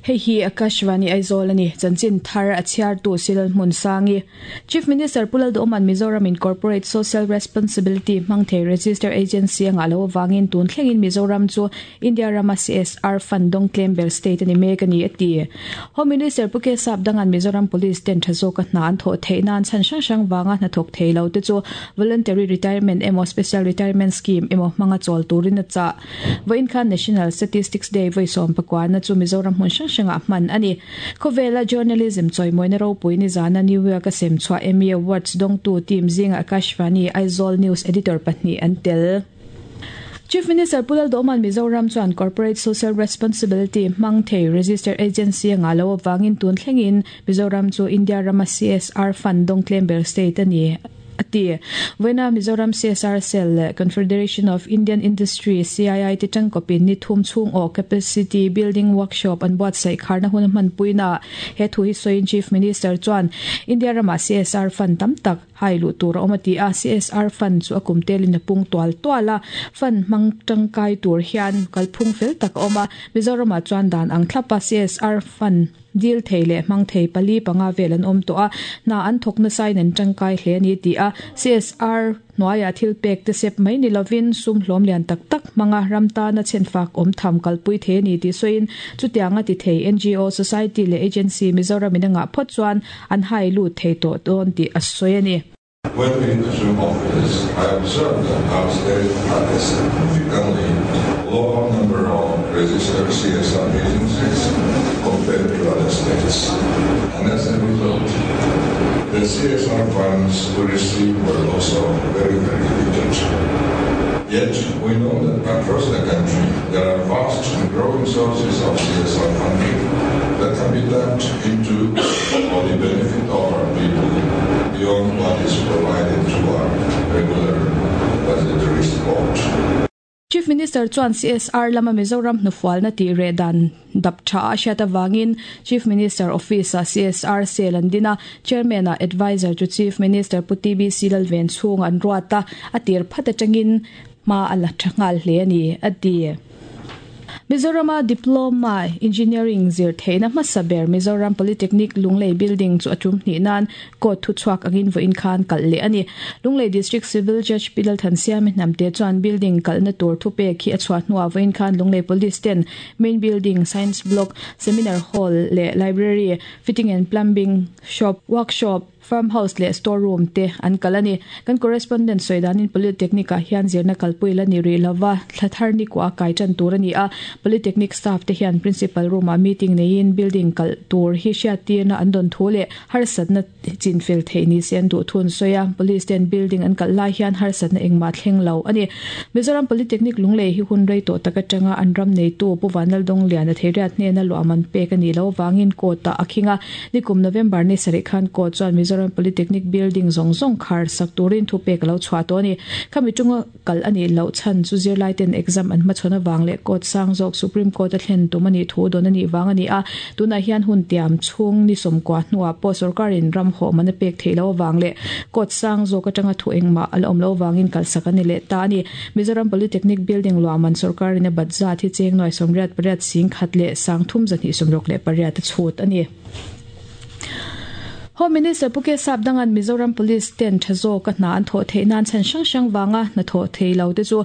Hei hi Akashvani Aizawl a ni. Chanchin thar a chhiartu Silal Hmunsangi. Chief Minister Pu Lalduhawma'n Mizoram in Corporate Social Responsibility hmang thei Register Agency a ngah loh avangin tun thlengin Mizoram chu India rama CSR fund dawng tlem ber state a ni mek a ni a ti. Home Minister Pu K Sapdanga'n Mizoram Police ten tha zawka hna an thawh theih nan chhan hrang hrang vanga hnathawk thei lo te chu Voluntary Retirement emaw Special Retirement Scheme emaw hmanga chawl turin a chah. Vawiin khan National Statistics Day vawi sawmpakuana chu Mizoram hmun hrang hrangah hman a ni. Khawvela journalism chawimawina ropui nizana New York-a sem chhuah Emmy Awards dawngtu team zingah Akashvani Aizawl News Editor pahnih an tel. Chief Minister Pu Lalduhawma'n Mizoram chuan Corporate Social Responsibility hmang thei Registered Agency a ngah loh avangin tun thlengin Mizoram chu India rama CSR fund dawng tlem ber state a ni. a ti. Vawiina Mizoram CSR Cell leh Confederation of Indian Industry, CII, te tangkawpin ni thum chhung awh Capacity Building Workshop an buatsaih kharna hun a hmanpuinaah he thu hi sawiin Chief Minister chuan India ramah CSR fund tam tak hai luh tur a awm a ti a, CSR fund chu a kum telin a pung tual tual a, fund hmang tangkai tur hian kalphung fel tak a awm a, Mizoramah chuan dan ang thlapa CSR fund Dil thei leh hmang thei pali panga vel an awm tawh a, hna an thawk nasain an tangkai hle a ni ti a, CSR hnuaiah thil pek te sep mai ni lovin sum hlawm lian tak tak hmanga ram tana chhenfak awm tham kalpui thei a ni tih sawiin chutianga ti thei ngo, society leh agency Mizoram in a ngah phawt chuan an hai lut thei tawh dawn tih a sawi a ni. When we assume office, I observed that our state had a significantly lower number of registered CSR agencies compared to other states. And as a result, the CSR funds we received were also very, very limited. Yet, we know that across the country, there are vast and growing sources of CSR funding that can be tapped into for the benefit of our people beyond what is provided to our regular budgetary support. Chief Minister chuan CSR lama Mizoram hnufualna tih reh dan dap tha a hriat avangin Chief Minister Office-ah CSR Cell an din a, Chairman-ah Adviser to Chief Minister Pu TBC Lalvenchhung an ruat a, a tir phat atangin hma a la tha nghal hle a ni, a ti. Mizorama Diploma Engineering zir theihna hmasa ber Mizoram Polytechnic Lunglei Building chu a tum hnih nan court thuchhuak angin vawiin khan kalh leh a ni. Lunglei District Civil Judge Pi Lalthansiami Hnamte chuan building kalhna tur thupek hi a chhuah hnuah vawiin khan Lunglei Police ten Main Building, Science Block, Seminar Hall leh Library, Fitting and Plumbing Shop, Workshop, Farm house leh store room te an kal a ni. Kan correspondent sawi danin Polytechnic ah hian zirna kalpui la ni rih lova, thla thar ni kuah a kai tan tur a ni a. Polytechnic staff te hian principal room ah meeting neiin building kalh tur hi hriattirna an dawn thu leh harsatna chinfel theih ni se an duh thu an sawi a. Police ten building an kalh lai hian harsatna engmah thleng lo a ni. Mizoram Polytechnic Lunglei hi hun rei tawh tak atanga an ram neitu Pu Vanlaldawng Liana Theiriat hnena luahman pek a nih loh avangin court ah a khing a. Nikum November ni sarih khan court chuan Mizoram Polytechnic building zawng zawng khar sak turin thupek a lo chhuah tawh a ni. Khami tunga kal a nih loh chhan chu zirlai ten exam an hmachhawn avang leh court sang zawk Supreme Court a thlen tum a nih thu dawn a nih vang a ni a. Tunah hian hun tiam chhung ni sawmkua hnuah pawh sorkarin ram hawh man a pek theih loh avang leh court sang zawk atanga thu engmah a la awm loh avangin kalsak a ni leh ta a ni. Mizoram Polytechnic building luahman sorkarin a bat zat hi cheng nuai 88 singkhat leh sangthum 268 a chhut a ni. Home Minister Pu K Sapdanga'n Mizoram Police ten tha zawka hna an thawh theih nan chhan hrang hrang vanga hna thawh thei lo te chu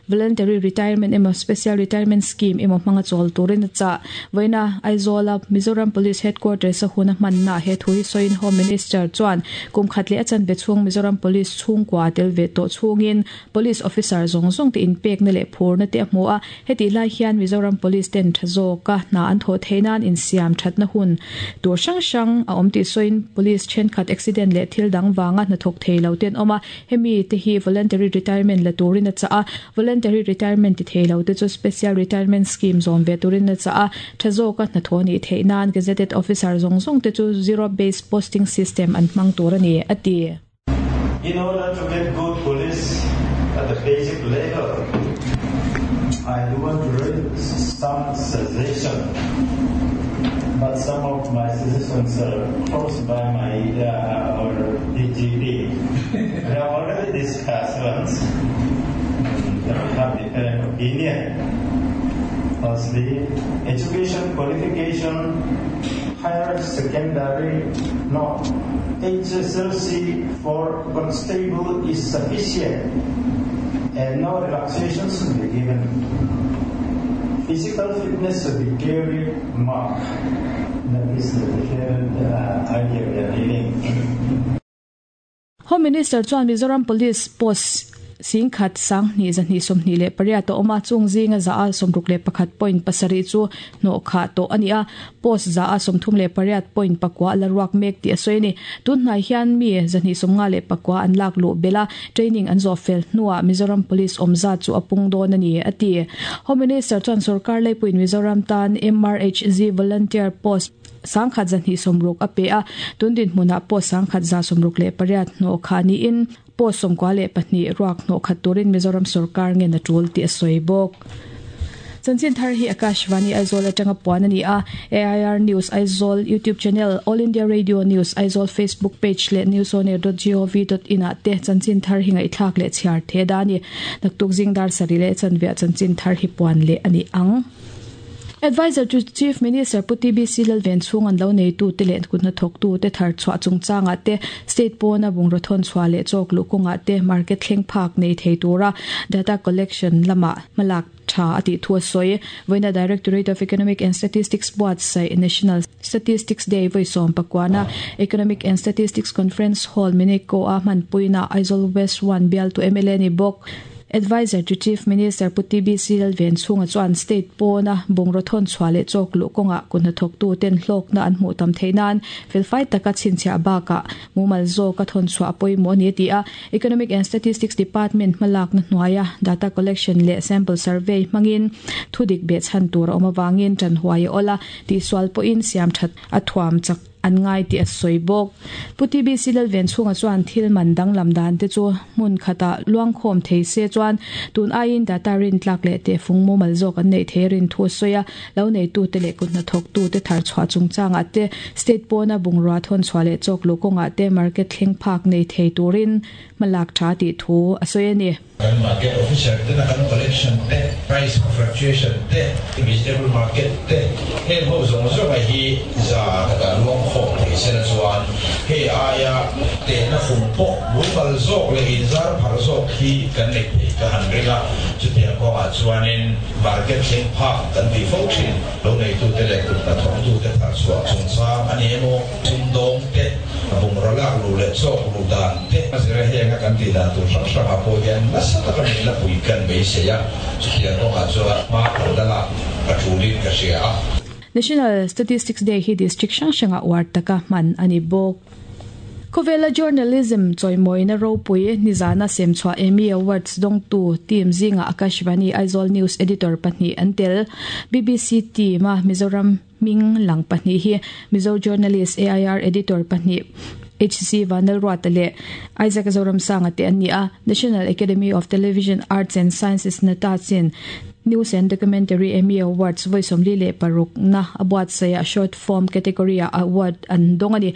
Voluntary Retirement emaw Special Retirement Scheme emaw hmanga chawl turin a chah. Vawiina Aizawla Mizoram Police Headquarters a hun a hmannaah he thu hi sawiin Home Minister chuan kum khat leh a chanve chhung Mizoram Police chhungkua tel ve tawh chhungin Police officer zawng zawng te inpekna leh phurna te a hmu a, hetih lai hian Mizoram Police ten tha zawka hna an thawh theih nan insiam thatna hun tur hrang hrang a awm tih sawiin Police thenkhat accident leh thil dang vanga hnathawk thei lo te an awm a, hemi te hi voluntary retirement la turin a chah a, voluntary retirement ti thei lo te chu special retirement scheme zawm ve turin a chah a, tha zawka hnathawh nih theih nan gazetted officer zawng zawng te chu zero based posting system an hmang tur a ni, a ti. In order to get good police at the basic level, I do want to raise some suggestion, but some of my suggestions are crossed by my uh, our DGP. we have already discussed once, and have different opinion. Firstly, education qualification higher secondary no HSLC for constable is sufficient and no relaxation should be given. Physical fitness should be clearly marked. That is the different idea we are dealing. Home Minister chuan Mizoram Police post 10,228 a awm a, chung zinga 161.7 chu hnawh khah tawh a ni a, post 138.9 a la ruak mek tih a sawi a ni. Tun hnai hian mi 259 an lak luh belh a, training an zawh fel hnuah Mizoram Police awm zat chu a pung dawn a ni, a ti. Home Minister chuan sorkar leipuiin Mizoram tan MRHZ Volunteer Post 1,260 a pe a, tun dinhmunah pawh 1,168 hnawh khah niin post 92 ruak hnawh khat turin Mizoram sorkar ngen a tul tih a sawi bawk. Chanchin thar hi Akashvani Aizawl atanga puan a ni a, AIR News Aizawl YouTube channel, All India Radio News Aizawl Facebook page leh newsonair.gov.in ah te chanchin thar hi ngaihthlak leh chhiar the da a ni. Naktuk zing dar sarih leh chanveah chanchin thar hi puan leh a ni ang. Adviser to Chief Minister Pu TBC Lalven chhung an lo neitute leh kut hnathawktute thar chhuah chungchangah te, state pawna bungraw thawn chhuah leh chawk luh kawngah te market thleng phak nei thei tura data collection lamah hmalak tha a tih thu a sawi. Vawiina Directorate of Economic and Statistics buatsaih National Statistics Day vawi sawmpakuana Economic and Statistics Conference Hall Mineko-a hmanpuina Aizawl West One bialtu mla ni bawk. Adviser to Chief Minister Pu TBC Lalvenchhunga chuan state pawna bungraw thawn chhuah leh chawk luh kawngah kut hnathawktu ten hlawkna an hmuh tam theih nan felfai taka chhinchhiah bakah mumal zawka thawn chhuah a pawimawh a ni a ti a. Economic and Statistics Department hmalakna hnuaia data collection leh sample survey hmangin thudik behchhan tur a awm avangin ṭanhuai a awl a, tihsual pawhin siamṭhat a thuam chak an ngai tih a sawi bawk. Pu TBC Lalvenchhunga chuan thil man danglam dan te chu hmun khatah luangkhawm thei se chuan tun aiin data rintlak leh tehfung mumal zawk an neih thei rin thu a sawi a, lo neitute leh kut hnathawktute thar chhuah chungchangah te, state pawna bungrua thawn chhuah leh chawk luh kawngah te market thleng phak nei thei turin hmalak tha tih thu a sawi a ni. Kan market officer tena kan collection te, price fluctuation te, vegetable market te, heng ho zawng zawnga hi za khatah luang khawm thei sela chuan hei aia tehna fung pawh mumal zawk leh inzar phar zawk hi kan nei thei ka han ring a. Chutiang kawngah chuanin market thleng phak kan tih fo thin. Lo neitute leh kut hnathawktute thar chhuah chungchang a ni emaw, sumdawng te, bungraw lak luh leh chawk luh dan te a zira henga kan tih dan tur hrang hrangah pawh hian nasa taka min la pui kan beisei a, chutiang kawngah chuan hma kan la lak a tulin ka hria a. National Statistics Day hi district hrang hrangah uar taka hman a ni bawk. Khawvela journalism chawimawina ropui nizana semchhuah Emmy Awards dawngtu team zingah Akashvani Aizawl News Editor pahnih an tel. BBC team-a Mizoram hming lang pahnih hi Mizo journalist AIR Editor pahnih HC Vanlalruata leh Isaac Zoramsanga te an ni a. National Academy of Television Arts and Sciences nata chin News and Documentary Emmy Awards vawi 46 na a buatsaihah Short Form category-ah award an dawng a ni.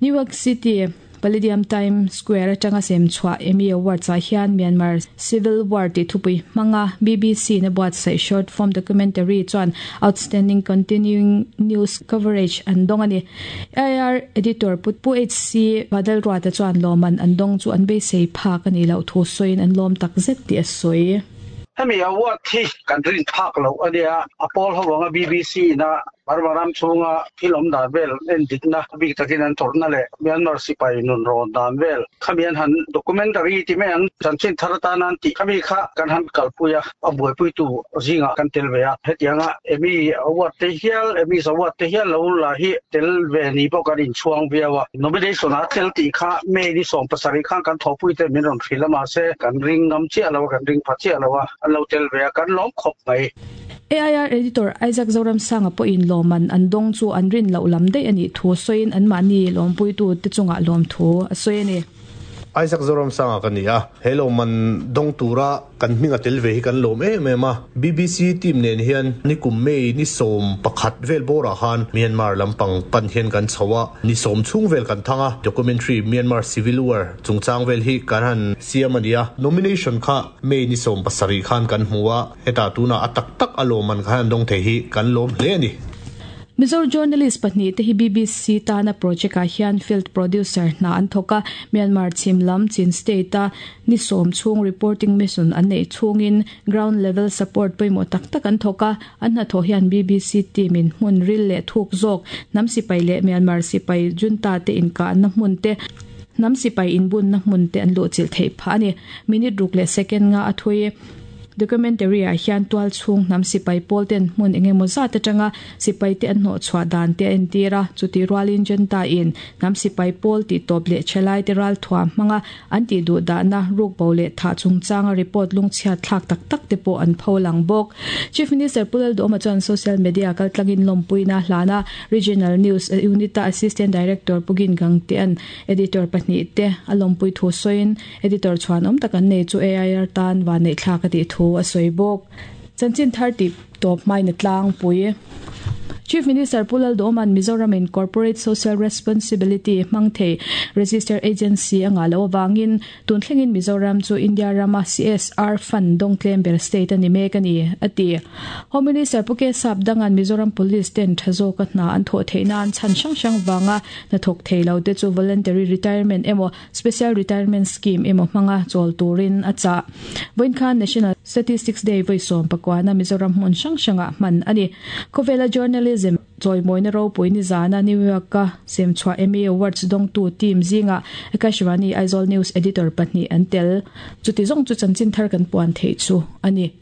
New York City Palladium Times Square atanga sem chhuah Emmy Awards-ah hian Myanmar Civil War tih thupui hmanga BBC-in a buatsaih short form documentary chuan Outstanding Continuing News Coverage an dawng a ni. AIR Editor Pu HC Badalruata chuan lawmman an dawng chu an beisei phak a nih loh thu sawiin an lawm takzet tih a sawi. Hemi award hi kan rin phak loh a nia, a pawl ho anga BBC ina Burma ram chhunga thil awm dan vel en dikna bik takin an tawrhna leh Myanmar sipai nun rawn dan vel khami an han documentary ti mai ang chanchin thar atana an tih khami kha kan han kalpui a, a buaipuitu zingah kan tel ve a. Hetianga Emmy award te hial, Emmys award te hial lo la hi tel ve ni pawh kan inchhuang viau a. Nomination a tel tih kha May ni 17 khan kan thawhpui te min rawn hrilh a mahse kan ring ngam chiah lo a, kan ring pha chiah lo a, an lo tel ve a, kan lawm khawp mai. AIR Editor Isaac Zoramsanga pawhin lawmman an dawng chu an rin loh lam daih a nih thu sawiin anmahni lawmpuitu te chungah lawmthu a sawi a ni. Isaac Zoramsanga ka ni a, he lawmman dawng tura kan hming a tel ve hi kan lawm em em a. BBC team nen hian nikum May ni 11 vel bawrah khan Myanmar lampang pan hian kan chho a, ni 10 chhung vel kan thang a, documentary Myanmar Civil War chungchang vel hi kan han siam a ni a. Nomination kha May ni 17 khan kan hmu a, hetah tunah a tak tak a lawmman khan an dawng thei hi kan lawm hle a ni. Mizo journalist pahnih te hi BBC tana project ah hian field producer hna an thawk a, Myanmar chhim lam Chin state a ni 10 chhung reporting mission an neih chhungin ground level support pawimawh tak tak an thawk a, an hnathawh hian BBC team in hmun ril leh thuk zawk hnam sipai leh Myanmar sipai junta te inkahna hmun te hnam sipai inbunna hmun te an luhchilh theih phah a ni. Minute ruk leh second nga a thui. Documentary ah hian tual chhung hnam sipai pawl ten hmun engemaw zat atanga sipai te an hnawh chhuah dan te a entir a, chuti rualin junta in hnam sipai pawl tih tawp leh thalai te ral thuam hmanga an tih duh dahna ruk bo leh thah chungchanga report lungchhiat thlak tak tak te pawh an pho lang bawk. Chief Minister Pu Lalduhawma chuan social media kaltlangin lawmpuina a hlan a, Regional News Unit a Assistant Director Pu Gin Gangtea'n Editor pahnih te a lawmpui thu sawiin Editor chhuan awm tak an nei chu AIR tan vanneih thlak a tih thu a sawi bawk. Chanchin thar tih tawp hmain a tlangpui. Chief Minister Pu Lalduhawma'n Mizoram in Corporate Social Responsibility hmang thei Register Agency a ngah loh avangin tun thlengin Mizoram chu India rama CSR fund dawng tlem ber state a ni mek a ni, a ti. Home Minister Pu K Sapdanga'n Mizoram Police ten tha zawka hna an thawh theih nan chhan hrang hrang vanga hnathawk thei lo te chu voluntary retirement emaw Special Retirement Scheme emaw hmanga chawl turin a chah. Vawiin khan National Statistics Day vawi 19 na Mizoram hmun hrang hrangah hman a ni. Khawvela Journalism chawimawina ropui nizana New York-a semchhuah Emmy Awards dawngtu team zingah Akashvani Aizawl News Editor pahnih an tel. Chuti zawng chu chanchin thar kan puan theih chu a ni.